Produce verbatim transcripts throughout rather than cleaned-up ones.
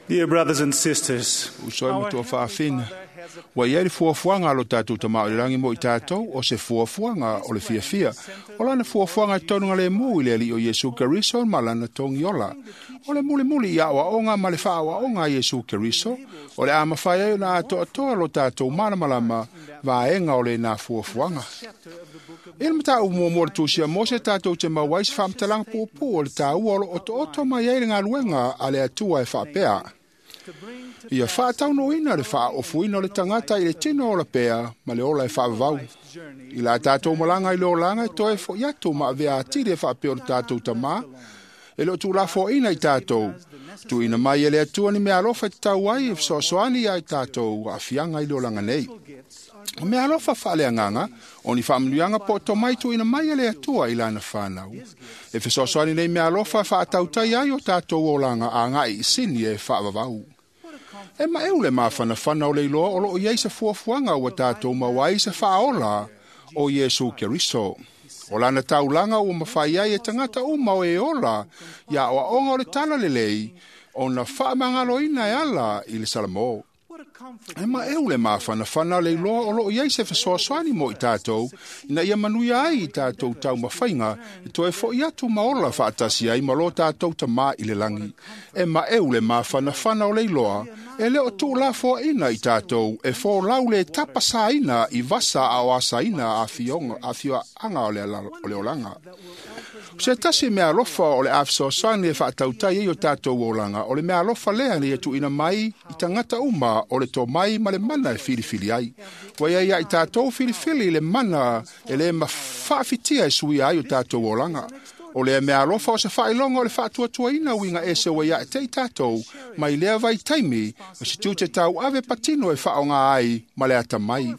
Dear brothers and sisters, Uso e matua whaafina. Wa iai le fuafuaga a lo tatou Tama o le lagi mo i tatou, o se fuafuaga o le fiafia. O lana fuafuaga e tonuga lemu i le Alii o Iesu Keriso ma lana togiola. O le mulimuli i aoaoga ma le faaoaoga a Iesu Keriso, o le a mafai ai ona atoatoa lo tatou malamalama vaega o lenā fuafuaga. I le mataupu muamua o le Tusi a Mose tatou te maua ai se faamatalaga puupuu o le taua o lo otooto mai ai le galuega a le Atua e faapea: ia faataunuuina le faaofoina o le tagata i le tino ola pea ma le ola e faavavau. I la tatou malaga i le olaga e toe fo'i atu ma avea atili e faapea o le tatou Tamā, e le o tuulafoaina i tatou. Tuuina mai e le Atua ni meaalofa e tatau ai e fesoasoani ia i tatou aafiaga i le olaga nei. O meaalofa faaleagaga, o ni faamanuiaga po o tomai tuuina mai e le Atua i lana fanau. E fesoasoani nei meaalofa e faatautai ai o tatou olaga agai i sini e faavavau. E maeu le mafanafana o le iloa o loo i ai se fuafuaga ua tatou maua ai se faaola o Iesu Keriso. O lana taulaga ua mafai ai e tagata uma o e ola ia aoaoga o le talalelei ona faamagaloina e ala i le Salamo. E maeu le mafanafana o le iloa o loo i ai se fesoasoani mo i tatou, ina ia manuia ai i tatou taumafaiga e toe fo'i atu ma ola faatasi ai ma lo tatou Tamā i le lagi. E maeu le mafanafana o le iloa e le o tuulafoaina i tatou e folau le tapasaina i vasa a o asaina afioaga o le olaga. O se tasi meaalofa o le a fesoasoani e faatautai ai o tatou olaga, o le meaalofa lea ina ia tuuina mai i tagata uma o le tomai ma le mana e filifili ai. Ua iai ia i tatou filifili le mana e le mafaafitia e suia ai o tatou olaga. O lea meaalofa o se faailoga o le faatuatuaina uiga ese ua ia te i tatou, mai lea vaitaimi, o se tiute tauave patino e faaaoga ai ma le atamai.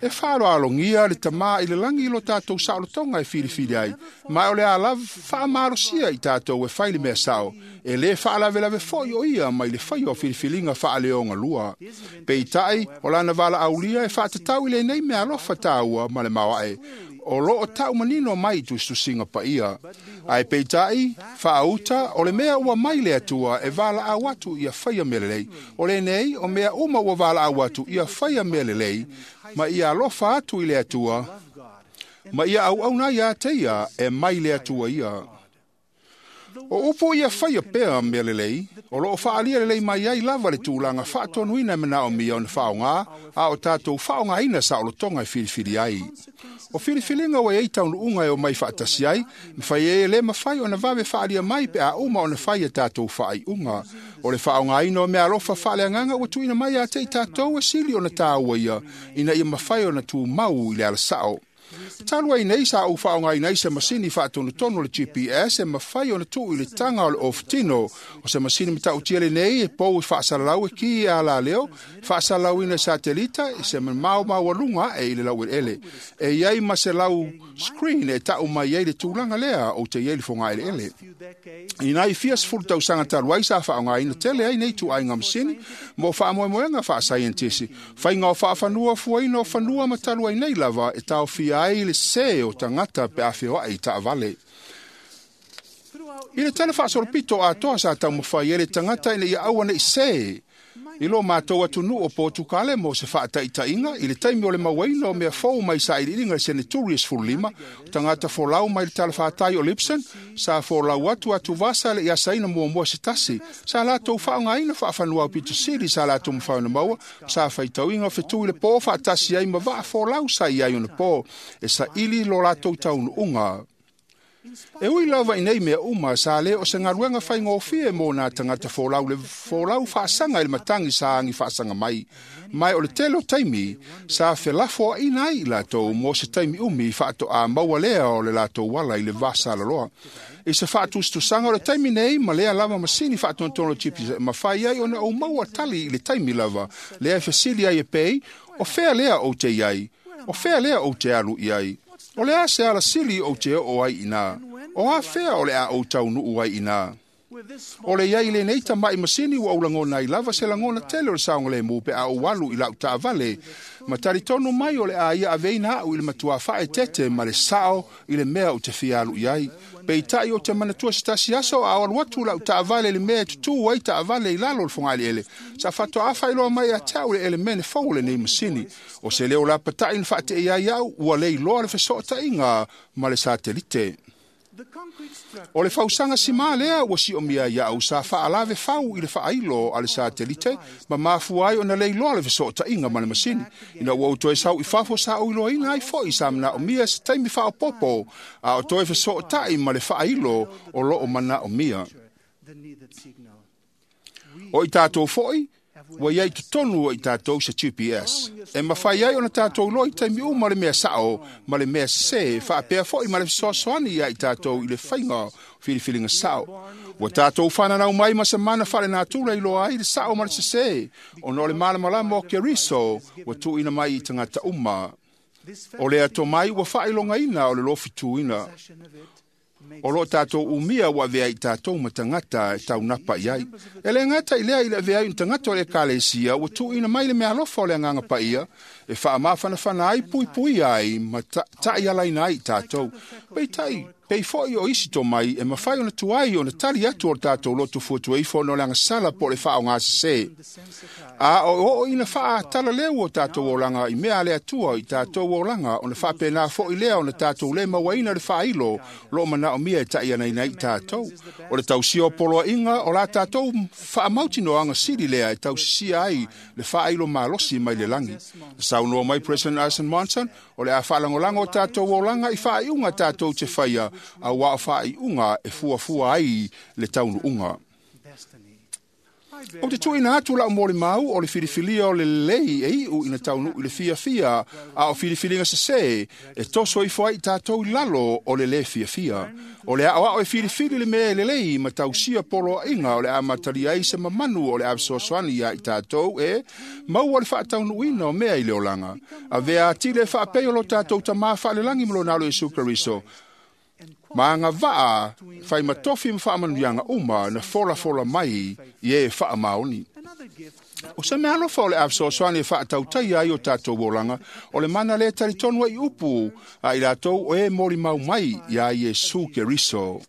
E faaaloalogia le Tamā i le lagi i lo tatou saolotoga e filifili ai, ma o le a lava faamalosia i tatou e fai le mea sao, e lē faalavelave foi o ia mai le faia o filifiliga faaleogalua. Peitai, o lana valaaulia e faatatau i lenei meaalofa taua ma le maoae, o loo tau manino mai i tusitusiga paia. Ae peitai, faauta, o le mea ua mai le Atua e valaau atu ia faia mea lelei. O lenei, o mea uma ua valaau atu ia faia mea lelei, ma ia alofa atu i le Atua, ma ia auauna ia te ia e mai le Atua ia. O upu ia faia pea mea lelei, o loo faalia lelei mai ai lava le tulaga faatonuina e manaomia ona faaaoga, a o tatou faaaogaina saolotoga e filifili ai. O filifiliga ua iai taunuuga e omai faatasi ai, mafai ai e le mafai ona vave faalia mai pe a uma ona fai a tatou faaiuga. O le faaaogaina o meaalofa faaleagaga ua tuuina mai ia te i tatou e sili ona taua ia, ina ia mafai ona tumau i le alasao. Talu ai nei sa ou faaaogaina ai se masini faatonutonu o le G P S e mafai ona tuu i le taga o le ofutino. O se masini matautia lenei e pou i faasalalau e ki e alaleo, faasalalauina e satelita i se mamao maualuga ae i le laueleele. E iai ma se lau screen e tau mai ai le tulaga lea ou te iai le fogaeleele. Ina i fia sefulu tausaga talu ai sa faaaogaina tele ai nei ituaiga masini mo faamoemoega faasaienitisi, faiga o faafanua fuaina o fanua ma talu ai nei lava e taofia ai le sē o tagata pe a feoai i taavale. I le tala faasolopito atoa sa taumafai ai le tagata ina ia aua nei sē i lo matou atunuu o Potukale mo se faataitaiga i le taimi o le mauaina o mea fou mai sailiiliga i le seneturi e sefululima, o tagata folau mai le talafatai o Lipson, sa folau atu atuvasa le i asaina muamua se tasi, sa latou faaaogaina faafanua aupito sili sa latou mafai ona maua, sa faitauina o fetui le pō faatasi ai ma vaa folau sa i ai ona pō, e saili lo latou taunuuga. E ui lava i nei mea uma, sa le o se galuega faigofie mo nā tagata folau le folau faasaga i le matagi sa agi faasaga mai. Mai o le tele o taimi, sa felafoaina ai i latou mo se taimi umi faatoa maua lea o le latou ala i le vasalaloa. I se faatusatusaga o le taimi nei ma lea lava masini faatonutonu o G P S, mafai ai ona ou maua tali i le taimi lava, lea e fesili ai e pei, o fea lea ou te i ai, o fea lea ou te alu i ai. O le a se alasili ou te oo ai ina, o a fea o le a ou taunuu ai ina. O le iai lenei tama'i masini ua ou lagona ai lava se lagona tele o le saogalemu pe a ou alu i la'u taavale ma talitonu mai o le a ia aveina a'u i le matuā faaeteete ma le sa'o i le mea ou te fia alu i ai. Peitai ou te manatua se tasi aso a o alu atu la'u taavale i le mea e tutū ai taavale i lalo o le fogaaliele sa faatoa faailoa mai ia te a'u le elemene fou o lenei masini. O se leo lapata'i na faate'i ai a'u ua le iloa le feso'ota'iga ma le satelite. O le fausaga simā lea ua si'omia ai a'u sa fa'alave fau i le fa'ailo a le satelite ma mafua ai ona le iloa le feso'ota'iga ma le masini. Ina ua ou toe sau i fafo sa ou iloaina ai fo'i sa mana'omia se taimi fa'aopopo a o toe feso'ota'i ma le fa'ailo o lo'o mana'omia. O i tatou fo'i ua iai totonu o i tatou se G P S. E mafai ai ona tatou iloa i taimi uma le mea sa'o ma le mea sesē, fa'apea fo'i ma le fesoasoani ia i tatou i le faiga o filifiliga sa'o. Ua tatou fananau mai ma se mana fa'alenatura iloa ai le sa'o ma le sesē, ona o le malamalama o Keriso ua tu'uina mai i tagata uma. O le atomai ua fa'ailogaina o le lofituina. O lo'o tatou umia ua avea i tatou ma tagata e taunapa i ai. E le gata i lea i le avea ai o tagata o le ekalesia ua tu'uina mai le meaalofa o le agaga pa'ia e fa'amafanafana ai puipuia ai ma ta'ialaina ai i tatou. Peitai, pei fo'i o isi tomai e mafai ona tuai ona tali atu o le tatou lotu fuatuaifo ona o le agasala po o le fa'aogāsesē. A o o'o ina fa'atalaleu o tatou olaga i mea a le Atua i tatou olaga ona fa'apena fo'i lea ona tatou lē mauaina le fa'ailo lo'o mana'omia e ta'ianaina ai i tatou. O le tausia o poloa'iga o la tatou fa'amautinoaga sili lea e tausisia ai le fa'ailo malosi mai le lagi. Na saunoa mai President Arson Monson o le a fa'alagolago o tatou olaga i fa'aiuga tatou te faia auā o fa'aiuga e fuafua ai le taunu'uga. O te tu'uina atu la'u molimau o le filifilia o le lelei e i'u ina taunu'u i le fiafia a o filifiliga sesē e toso ifo ai i tatou i lalo o le lē fiafia. O le a'oa'o e filifili le mea e lelei ma tausia poloa'iga o le a matalia ai se mamanu o le a fesoasoani ia i tatou e maua le fa'ataunu'uina o mea i le olaga. Avea atili e fa'apei o lo tatou tamā fa'alelagi ma lona alo Iesu Keriso ma agava'a faimatofi ma fa'amanuiaga uma na folafola mai i e fa'amaoni. O se mea alofa o le a fesoasoani e fa'atautaia ai o tatou olaga o le mana lē talitonu ai upu a i latou o e molimau mai iā Iesu Keriso.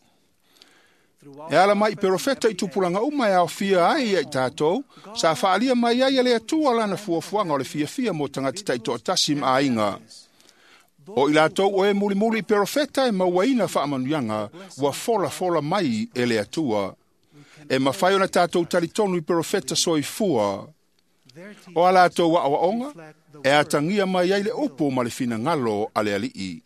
E ala mai i perofeta i tupulaga uma e aofia ai ia i tatou, sa fa'alia mai ai e le Atua lana fuafuaga o le fiafia mo tagata ta'ito'atasi ma aiga. O i latou o e mulimuli i perofeta e mauaina fa'amanuiaga ua folafola mai e le Atua. E mafai ona tatou talitonu i perofeta soifua. O a latou a'oa'oga e atagia mai ai le upu ma le finagalo a le ali'i.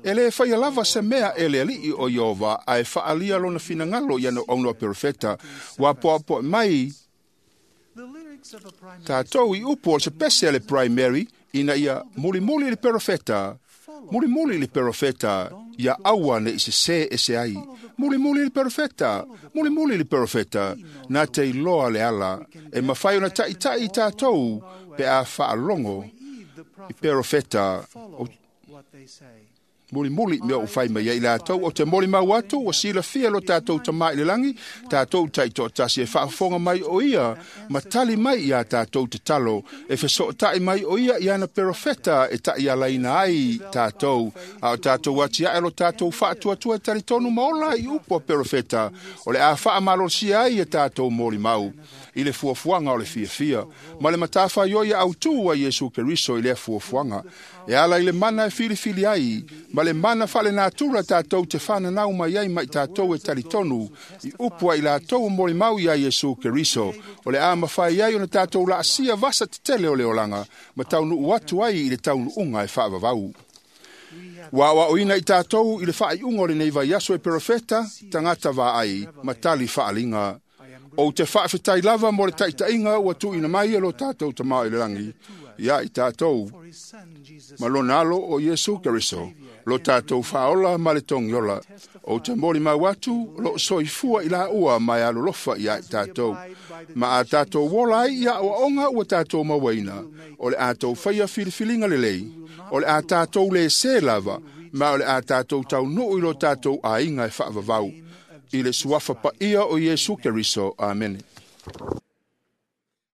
E lē faia lava se mea e le ali'i o Ieova ae fa'alia lona finagalo i ana aunoa perofeta. Ua poapoa'i mai tatou i upu o se pese a le primary ina ia mulimuli le perofeta, mulimuli le perofeta, ia aua ne'i sesē ese ai. Mulimuli le perofeta, mulimuli le perofeta, na te iloa le ala, e mafai ona ta'ita'i i tatou pe a fa'alogo i perofeta o mulimuli mea o fai mai ai latou o te molimau atu ua silafia lo tatou tamā i le lagi tatou ta'ito'atasi e fa'afofoga mai o ia ma tali mai iā tatou tatalo e feso'ota'i mai o ia i ana perofeta e ta'ialaina ai tatou a o tatou atia'e lo tatou fa'atuatua e talitonu ma ola i upu a perofeta o le a fa'amalolosia ai e tatou molimau i le fuafuaga o le fiafia ma le matafaioi autū a Iesu Keriso i lea fuafuaga e ala i le mana e filifili ai ma le mana fa'alenatura tatou te fananau mai ai ma i tatou e talitonu i upu ai latou o molimau iā Iesu Keriso o le a mafai ai ona tatou la'asia vasa tetele o le olaga ma taunu'u atu ai i le taunu'uga e fa'avavau. Ua a'oa'oina i tatou i le fa'ai'uga o lenei vaiaso e perofeta tagata va'ai ma tali fa'aliga. Ou te fa'afetai lava mo le ta'ita'iga ua tu'uina mai e lo tatou tamā i le lagi ia i tatou ma lona alo o Iesu Keriso lo tatou fa'aola ma le togiola. Ou te molimau atu lo'o soifua i lāua ma e alolofa iā i tatou. Ma a tatou ola ai ia a'oa'oga ua tatou mauaina o le a tou faia filifiliga lelei, o le a tatou lēsē lava ma o le a tatou taunu'u i lo tatou aiga e fa'avavau. I le suafa paia o Iesu Keriso. Amene.